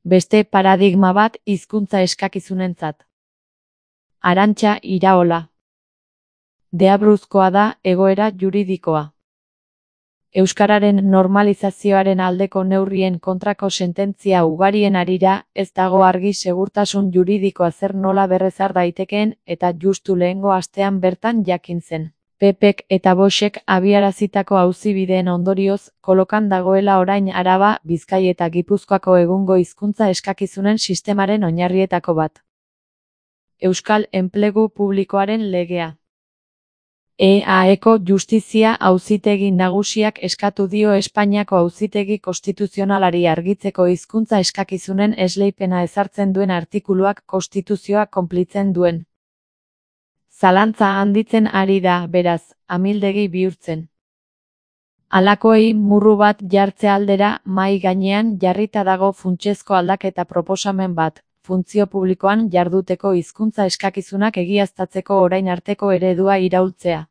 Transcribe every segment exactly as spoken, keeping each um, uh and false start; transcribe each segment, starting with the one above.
Beste paradigma bat hizkuntza eskakizunentzat. Arantxa Iraola. Deabruzkoa da egoera juridikoa. Euskararen normalizazioaren aldeko neurrien kontrako sententzia ugarien harira, ez dago argi segurtasun juridikoa zer nola berrezar daitekeen eta justu lehengo astean bertan jakin zen. P Pk eta Voxek abiarazitako auzibideen ondorioz, kolokan dagoela orain Araba, Bizkai eta Gipuzkoako egungo hizkuntza eskakizunen sistemaren oinarrietako bat. Euskal Enplegu Publikoaren Legea. E A Eko Justizia Auzitegi Nagusiak eskatu dio Espainiako Auzitegi Konstituzionalari argitzeko hizkuntza eskakizunen esleipena ezartzen duen artikuluak konstituzioa konplitzen duen. Zalantza handitzen ari da, beraz, amildegi bihurtzen. Halakoei murru bat jartze aldera mahai gainean jarrita dago funtsezko aldaketa proposamen bat, funtzio publikoan jarduteko hizkuntza eskakizunak egiaztatzeko orain arteko eredua iraultzea.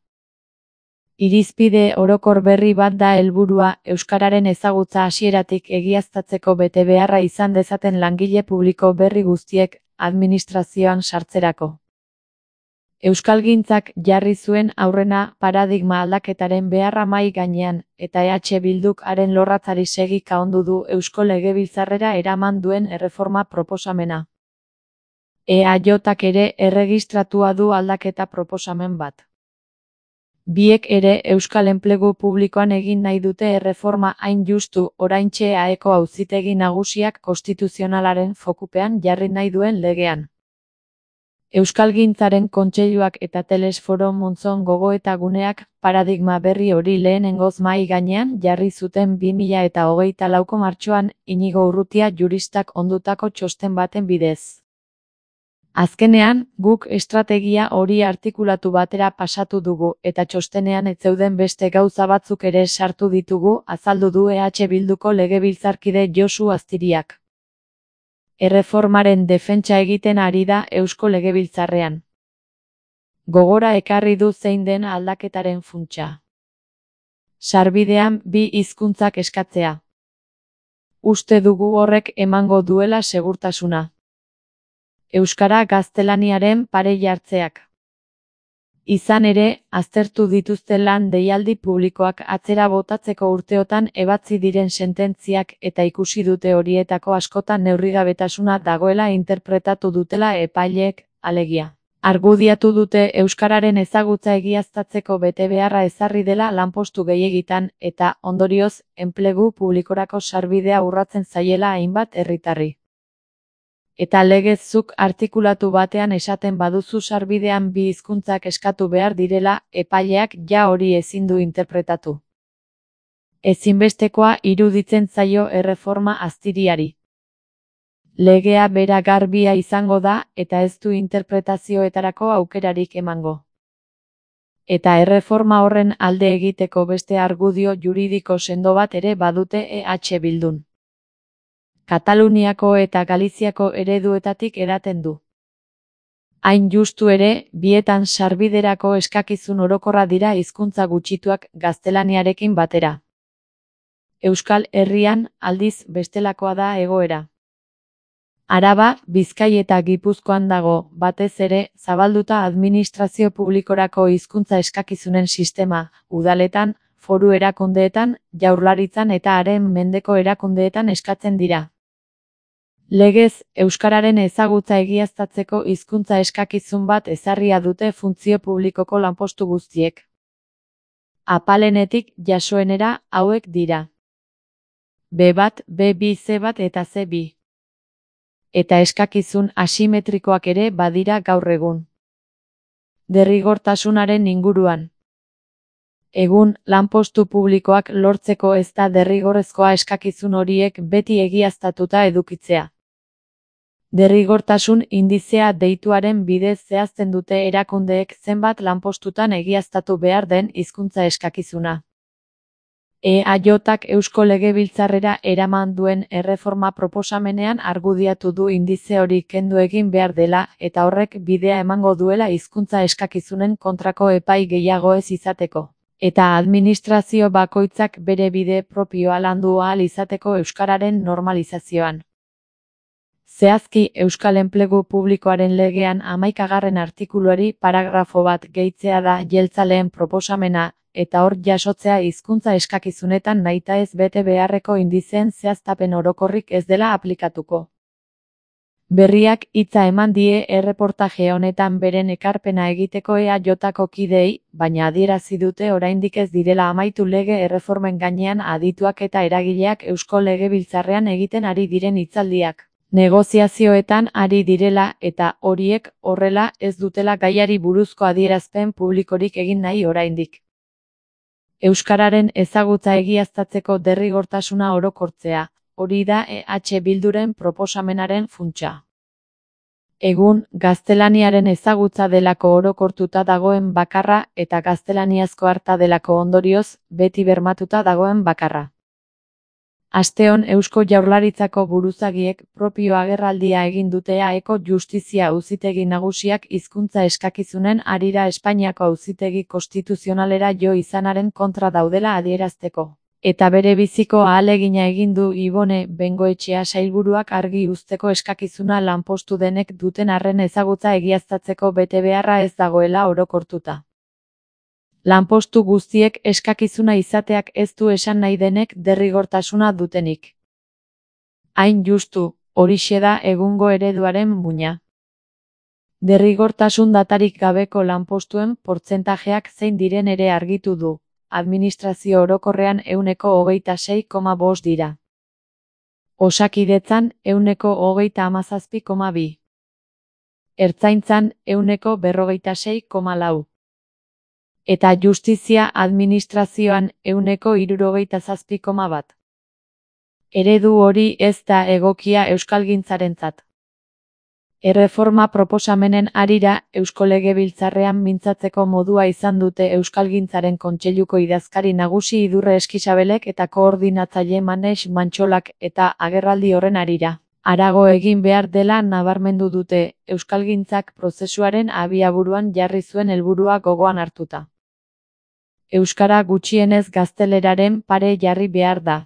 Irizpide orokor berri bat da helburua, euskararen ezagutza hasieratik egiaztatzeko betebeharra izan dezaten langile publiko berri guztiek administrazioan sartzerako. Euskalgintzak jarri zuen aurrena paradigma aldaketaren beharra mahai gainean, eta E H Bilduk haren lorratzari segika ondu du Eusko Legebiltzarrera eraman duen erreforma proposamena. E A Jk ere erregistratua du aldaketa proposamen bat. Biek ere Euskal Enplegu Publikoan egin nahi dute erreforma hain justu oraintxe E A Eko Auzitegi Nagusiak konstituzionalaren fokupean jarri nahi duen legean. Euskalgintzaren kontseiluak eta Telesforo Montzon gogoeta guneak paradigma berri hori lehenengoz mahai gainean jarri zuten bi mila eta hogeita lauko martxoan Inigo Urrutia juristak ondutako txosten baten bidez. Azkenean, guk estrategia hori artikulatu batera pasatu dugu eta txostenean ez zeuden beste gauza batzuk ere sartu ditugu, azaldu du E H Bilduko legebiltzarkide Josu Aztiriak. Erreformaren defentsa egiten ari da Eusko Legebiltzarrean. Gogora ekarri du zein den aldaketaren funtsa. Sarbidean bi hizkuntzak eskatzea. Uste dugu horrek emango duela segurtasuna. Euskara gaztelaniaren pare jartzeak. Izan ere, aztertu dituzte lan deialdi publikoak atzera botatzeko urteotan ebatzi diren sententziak eta ikusi dute horietako askotan neurrigabetasuna dagoela interpretatu dutela epaileek, alegia. Argudiatu dute euskararen ezagutza egiaztatzeko betebeharra ezarri dela lanpostu gehiegitan eta, ondorioz, enplegu publikorako sarbidea urratzen zaiela hainbat herritarri. Eta legezuk artikulatu batean esaten baduzu sarbidean bi hizkuntzak eskatu behar direla, epaileak ja hori ezin du interpretatu. Ezinbestekoa iruditzen zaio erreforma Aztiriari. Legea bera garbia izango da eta ez du interpretazioetarako aukerarik emango. Eta erreforma horren alde egiteko beste argudio juridiko sendo bat ere badute E H Bildun. Kataluniako eta Galiziako ereduetatik edaten du. Hain justu ere, bietan sarbiderako eskakizun orokorra dira hizkuntza gutxituak gaztelaniarekin batera. Euskal Herrian, aldiz, bestelakoa da egoera. Araba, Bizkai eta Gipuzkoan dago, batez ere, zabalduta administrazio publikorako hizkuntza eskakizunen sistema, udaletan, foru erakundeetan, jaurlaritzan eta haren mendeko erakundeetan eskatzen dira. Legez, euskararen ezagutza egiaztatzeko hizkuntza eskakizun bat ezarria dute funtzio publikoko lanpostu guztiek. Apalenetik jasoenera hauek dira. B bat, B bi, C bat eta C bi. Eta eskakizun asimetrikoak ere badira gaur egun. Derrigortasunaren inguruan. Egun, lanpostu publikoak lortzeko ez da derrigorrezkoa eskakizun horiek beti egiaztatuta edukitzea. Derrigortasun indizea deituaren bidez zehazten dute erakundeek zenbat lanpostutan egiaztatu behar den hizkuntza eskakizuna. E A Jk Eusko Legebiltzarrera eraman duen erreforma proposamenean argudiatu du indize hori kendu egin behar dela eta horrek bidea emango duela hizkuntza eskakizunen kontrako epai gehiago ez izateko. Eta administrazio bakoitzak bere bide propioa landu ahal izateko euskararen normalizazioan. Zehazki, Euskal Enplegu Publikoaren legean hamaikagarren artikuluari paragrafo bat gehitzea da jeltzaleen proposamena, eta hor jasotzea hizkuntza eskakizunetan nahitaez bete beharreko indizeen zehaztapen orokorrik ez dela aplikatuko. Berriak hitza eman die erreportaje honetan beren ekarpena egiteko E A Jko kideei, baina adierazi dute oraindik ez direla amaitu lege erreformen gainean adituak eta eragileak Eusko Legebiltzarrean egiten ari diren hitzaldiak. Negoziazioetan ari direla eta horiek horrela ez dutela gaiari buruzko adierazpen publikorik egin nahi oraindik. Euskararen ezagutza egiaztatzeko derrigortasuna orokortzea, hori da E H Bilduren proposamenaren funtsa. Egun, gaztelaniaren ezagutza delako orokortuta dagoen bakarra eta gaztelaniazko harta delako ondorioz, beti bermatuta dagoen bakarra. Asteon Eusko Jaurlaritzako buruzagiek propio agerraldia egin dute Aeko Justizia Auzitegi Nagusiak hizkuntza eskakizunen harira Espainiako Auzitegi Konstituzionalera jo izanaren kontra daudela adierazteko. Eta bere biziko ahalegina egin du Ibone Bengoetxea sailburuak argi uzteko eskakizuna lanpostu denek duten arren ezagutza egiaztatzeko betebeharra ez dagoela orokortuta. Lanpostu guztiek eskakizuna izateak ez du esan nahi denek derrigortasuna dutenik. Hain justu, horixe da egungo ereduaren muina. Derrigortasun datarik gabeko lanpostuen portzentajeak zein diren ere argitu du. Administrazio orokorrean ehuneko hogeita sei koma bost dira. Osakidetzan ehuneko hogeita hamazazpi koma bi. Ertzaintzan ehuneko berrogeita sei koma lau. Eta justizia administrazioan ehuneko hirurogeita zazpi koma bat. Eredu hori ez da egokia euskalgintzarentzat. Erreforma proposamenen harira Eusko Legebiltzarrean mintzatzeko modua izan dute Euskalgintzaren Kontseiluko idazkari nagusi Idurre Eskixabelek eta koordinatzaile Manex Mantxolak eta agerraldi horren harira. Harago egin behar dela nabarmendu dute Euskalgintzak prozesuaren abiaburuan jarri zuen helburua gogoan hartuta. Euskara gutxienez gazteleraren pare jarri behar da.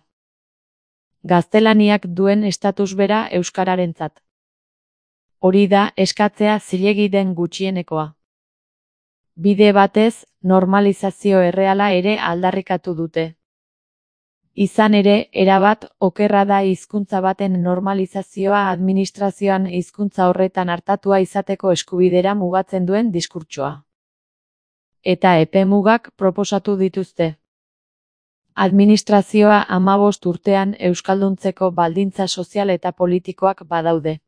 Gaztelaniak duen estatus bera euskararentzat. Hori da eskatzea zilegi den gutxienekoa. Bide batez, normalizazio erreala ere aldarrikatu dute. Izan ere, erabat okerra da hizkuntza baten normalizazioa administrazioan hizkuntza horretan artatua izateko eskubidera mugatzen duen diskurtsoa. Eta epe mugak proposatu dituzte. Administrazioa hamabost urtean euskalduntzeko baldintza sozial eta politikoak badaude.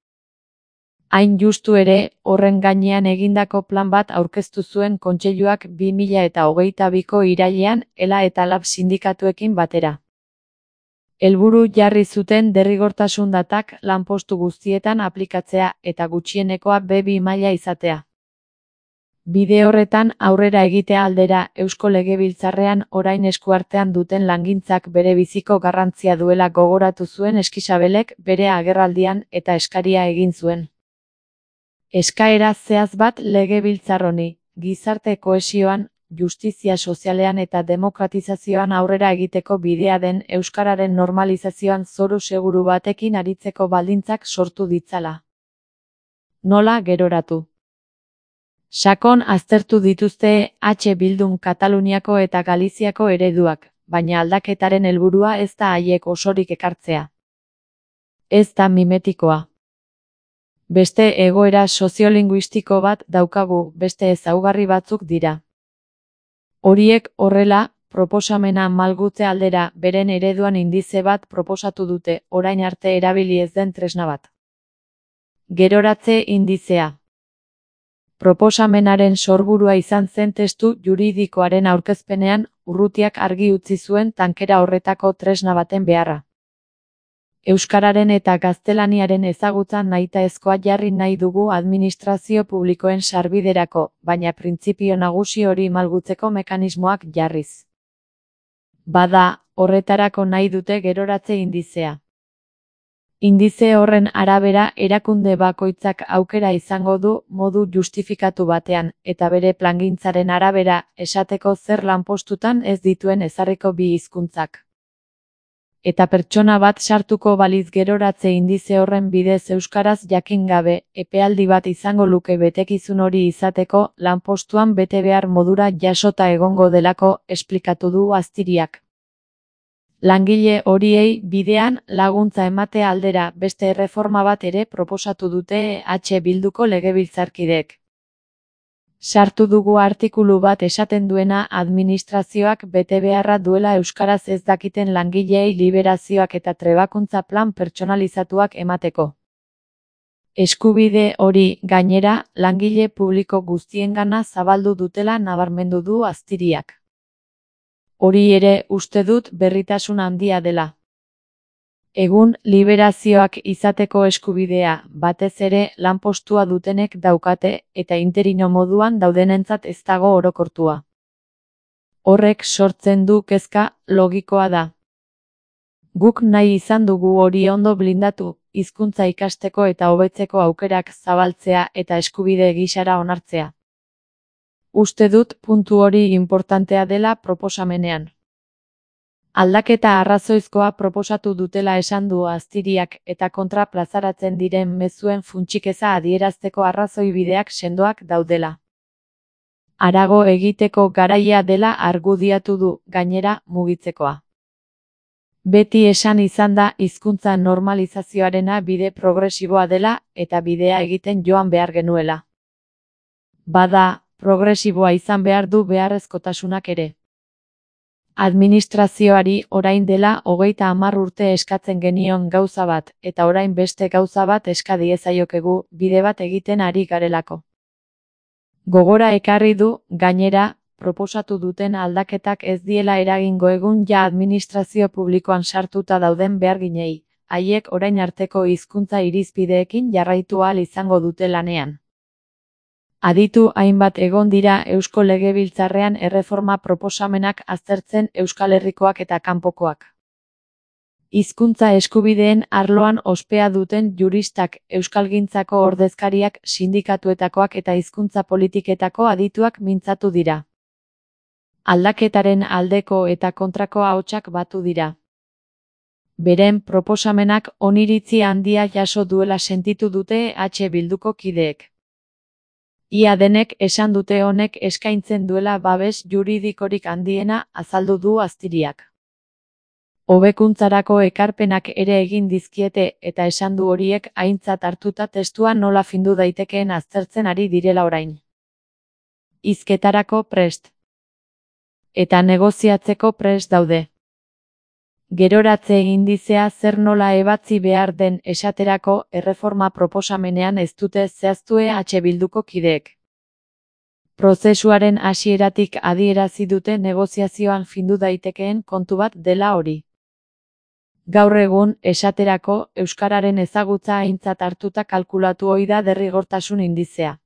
Hain justu ere, horren gainean egindako plan bat aurkeztu zuen Kontseiluak bi mila eta hogeita biko irailean Ela eta Lab sindikatuekin batera. Helburu jarri zuten derrigortasun datak lanpostu guztietan aplikatzea eta gutxienekoa be bi maila izatea. Bide horretan aurrera egitea aldera Eusko Legebiltzarrean orain eskuartean duten langintzak bere biziko garrantzia duela gogoratu zuen Eskixabelek bere agerraldian eta eskaria egin zuen. Eskaera zehatz bat Legebiltzar honi, gizarte kohesioan, justizia sozialean eta demokratizazioan aurrera egiteko bidea den euskararen normalizazioan zoru seguru batekin aritzeko baldintzak sortu ditzala. Nola geroratu? Sakon aztertu dituzte H Bildun Kataluniako eta Galiziako ereduak, baina aldaketaren helburua ez da haiek osorik ekartzea. Ez da mimetikoa. Beste egoera soziolinguistiko bat daukagu, beste ezaugarri batzuk dira. Horiek horrela, proposamena malgutze aldera beren ereduan indize bat proposatu dute, orain arte erabili ez den tresna bat. Geroratze indizea. Proposamenaren sorburua izan zen testu juridikoaren aurkezpenean, Urrutiak argi utzi zuen tankera horretako tresna baten beharra. Euskararen eta gaztelaniaren ezagutzan nahitaezkoa jarri nahi dugu administrazio publikoen sarbiderako, baina printzipio nagusi hori malgutzeko mekanismoak jarriz. Bada, horretarako nahi dute geroratze indizea. Indize horren arabera erakunde bakoitzak aukera izango du modu justifikatu batean, eta bere plangintzaren arabera esateko zer lanpostutan ez dituen ezarriko bi hizkuntzak. Eta pertsona bat sartuko baliz geroratze indize horren bidez euskaraz jakin gabe, epealdi bat izango luke betekizun hori izateko, lanpostuan bete behar modura jasota egongo delako, esplikatu du Aztiriak. Langile horiei bidean laguntza emate aldera beste erreforma bat ere proposatu dute H Bilduko legebiltzarkideek. Sartu dugu artikulu bat esaten duena administrazioak bete beharra duela euskaraz ez dakiten langileei liberazioak eta trebakuntza plan pertsonalizatuak emateko. Eskubide hori, gainera, langile publiko guztiengana zabaldu dutela nabarmendu du Aztiriak. Hori ere uste dut berritasun handia dela. Egun, liberazioak izateko eskubidea, batez ere lanpostua dutenek daukate eta interino moduan daudenentzat ez dago orokortua. Horrek sortzen du kezka, logikoa da. Guk nahi izan dugu hori ondo blindatu, hizkuntza ikasteko eta hobetzeko aukerak zabaltzea eta eskubide gisara onartzea. Uste dut puntu hori inportantea dela proposamenean. Aldaketa arrazoizkoa proposatu dutela esan du Aztiriak eta kontra plazaratzen diren mezuen funtsikeza adierazteko arrazoi bideak sendoak daudela. Harago egiteko garaia dela argudiatu du, gainera, mugitzekoa. Beti esan izan da hizkuntza normalizazioarena bide progresiboa dela eta bidea egiten joan behar genuela. Bada, progresiboa izan behar du beharrezkotasunak ere. Administrazioari orain dela hogeita hamar urte eskatzen genion gauza bat, eta orain beste gauza bat eska diezaiokegu, bide bat egiten ari garelako. Gogora ekarri du, gainera, proposatu duten aldaketak ez diela eragingo egun ja administrazio publikoan sartuta dauden beharginei, haiek orain arteko hizkuntza irizpideekin jarraitu ahal izango dute lanean. Aditu hainbat egon dira Eusko Legebiltzarrean erreforma proposamenak aztertzen Euskal Herrikoak eta kanpokoak. Hizkuntza eskubideen arloan ospea duten juristak, euskalgintzako ordezkariak, sindikatuetakoak eta hizkuntza politiketako adituak mintzatu dira. Aldaketaren aldeko eta kontrako ahotsak batu dira. Beren proposamenak oniritzi handia jaso duela sentitu dute H Bilduko kideek. Ia denek esan dute honek eskaintzen duela babes juridikorik handiena, azaldu du Aztiriak. Hobekuntzarako ekarpenak ere egin dizkiete eta esan du horiek aintzat hartuta testua nola findu daitekeen aztertzen ari direla orain. Hizketarako prest. Eta negoziatzeko prest daude. Geroratze indizea zer nola ebatzi behar den esaterako erreforma proposamenean ez dute zehaztue H Bilduko kideek. Prozesuaren hasieratik adierazi dute negoziazioan findu daitekeen kontu bat dela hori. Gaur egun, esaterako, euskararen ezagutza aintzat hartuta kalkulatu ohi da derrigortasun indizea.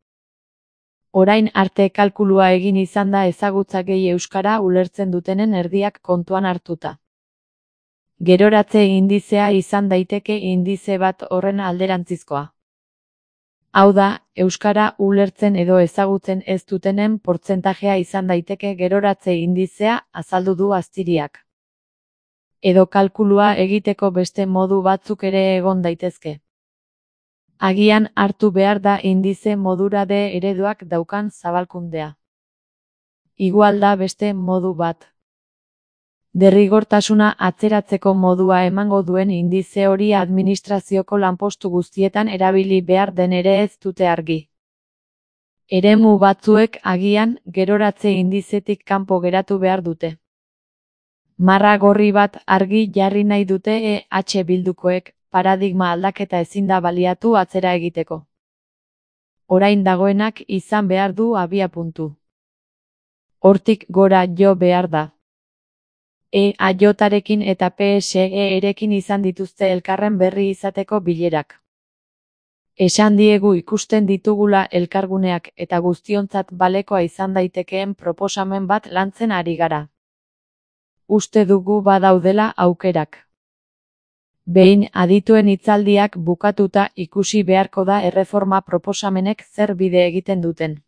Orain arte kalkulua egin izan da ezagutza gehi euskara ulertzen dutenen erdiak kontuan hartuta. Geroratze indizea izan daiteke indize bat horren alderantzizkoa. Hau da, euskara ulertzen edo ezagutzen ez dutenen portzentajea izan daiteke geroratze indizea, azaldu du Aztiriak. Edo kalkulua egiteko beste modu batzuk ere egon daitezke. Agian hartu behar da indize modura de ereduak daukan zabalkundea. Igual da beste modu bat. Derrigortasuna atzeratzeko modua emango duen indize hori administrazioko lanpostu guztietan erabili behar den ere ez dute argi. Eremu batzuek agian geroratze indizetik kanpo geratu behar dute. Marra gorri bat argi jarri nahi dute E H Bildukoek, paradigma aldaketa ezin da baliatu atzera egiteko. Orain dagoenak izan behar du abiapuntu. Hortik gora jo behar da. E A J-arekin eta P S E-erekin izan dituzte elkarren berri izateko bilerak. Esan diegu ikusten ditugula elkarguneak eta guztiontzat balekoa izan daitekeen proposamen bat lantzen ari gara. Uste dugu badaudela aukerak. Behin adituen hitzaldiak bukatuta ikusi beharko da erreforma proposamenek zer bide egiten duten.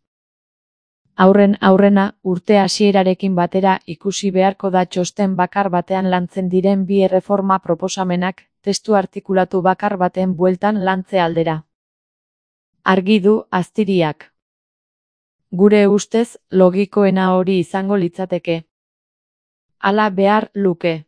Aurren aurrena, urte hasierarekin batera ikusi beharko da txosten bakar batean lantzen diren bi erreforma proposamenak, testu artikulatu bakar baten bueltan lantze aldera. Argi du Aztiriak. Gure ustez, logikoena hori izango litzateke. Hala behar luke.